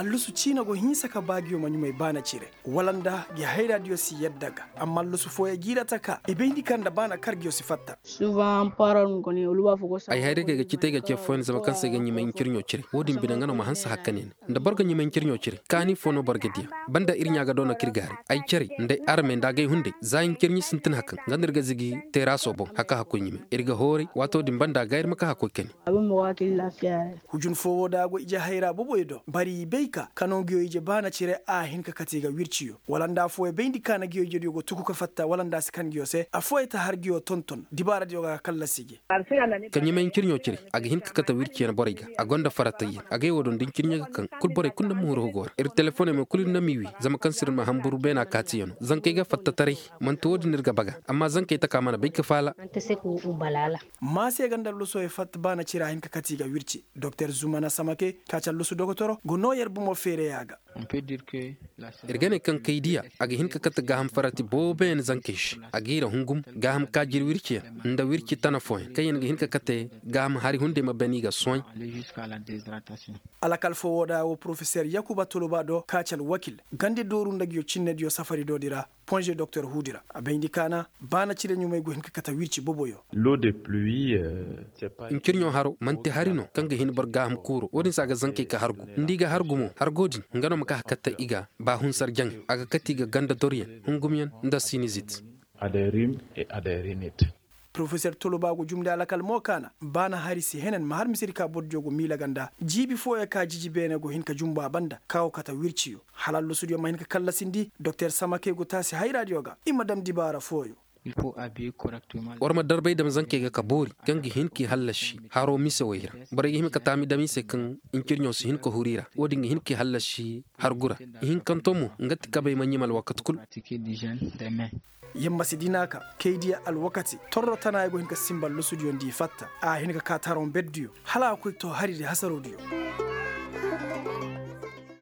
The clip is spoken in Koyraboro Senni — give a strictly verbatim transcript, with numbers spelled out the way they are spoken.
Allusu ciina go hinsa ka ba ngiyo ma ɲumay baana cire wala nda gi hayraadiyo si yadda ga. Amma allusu fooyaŋ jiira ta ka i bayndi ka nda baana kar ngiyo si fatta. Ay hayray kay ga citay ga ce fooyaŋ zama kaŋ se ay ga ɲumay ncirɲo cire wo-din bine nga no ma hanse hakka ne ne nda boro ga ɲumay ncirɲo cire kaani foo no boro ga diya. Banda ir ɲaa ga doona ka ir gaari ay care nda ay armey nda agay hunday za ncirɲi sintin hakkaŋ nga no ir ga zigi teeraaso boŋ haka hakkoy ɲumay ir ga hooray waato din banda ga ir ma ka hakkoy kani. Hujun foo woo da a go ije hayra boboyo do bari i bay ka kano ngiyo ije baana cire a hin ka kate i ga wirciyo wala nda affooyaŋ bayndi ka na ngiyo ijediyo go tuku ka fatta wala nda a si kan ngiyo se affooyaŋ ta har ngiyo tonton dibaaradiyo ga kallasi gi. Ka ɲumay ncirɲo cire a ga hin ka kate wirciyaŋ borey ga a gonda faratayyaŋ agay woo do nda ncirɲo ga kaŋ kul borey kul nda muhuru hugo ra ir telefoney mo kul ir na m'i wi zama kaŋ se ir ma hanburu beena kaatiyaŋo zankey ga fattataray. Man'ti woo din ir ga baga amma zankey taka mana bay ka faala. Maase ga nda alluso ye fatta baana cira hin ka kate i ga wirci doktor zumana samake ka ci allusu dokotoro ga noo yer bumo feereya ga. Ir ga ne kaŋ kay diya a ga hin ka kate gaaham farati booboyaŋ zankey se a ga i ra hungum gaaham kaajir wirciyaŋ nda wirci tana fooyaŋ kaŋ yaŋ ga hin ka kate gaaham hari hunday ma bani ga sohãy. Alakal foo woo da wo porofeser yakuba toloba do ka ci alwakil gandi dooru nda nguyo cinnediyo safari doodi ra. Ponze doktor huudi ra a bayndi kaana baana cire ɲumay go hin ka kate wirci boboyo. Ncirɲo haro man'ti hari no kaŋ ga hin boro gaaham kuuro wo-din se a ga zankey ka hargu nda i ga hargu mo hargo din nga no ma ka hakkatta i ga baa hunsar jaŋay a ga kate i ga ganda doryaŋ hungumyaŋ nda sinizit. Porofeser toloba go jumndi alakal mo kaana baana hari si henen ma har misedi ka bordiyo go miila ga nda jiibi fooyaŋ ka jiji beene go hin ka jumbu a banda ka go kate wirciyo hala allusudiyo ma hin ka kallasindi doktor samake go taasi hayraadiyo ga i ma dam dibaara fooyo. War ma darbay dam zankey ga ka boori kaŋ ga hin k'i hallasi haro mise wey ra. Borey ga hima ka taami dam i se kaŋ ncirɲo si hin ka huru i ra wo-din ga hin k'i hallasi hargu ra. Ihinkanto mo nga ti kabey ma ɲima alwakati kul. Yamma si dina ka kay diya alwakati torro tana ay go hin ka simba lusudiyo nda i fatta a hin ka ka taroŋ berdiyo hala a koy to hari di hasarodiyo.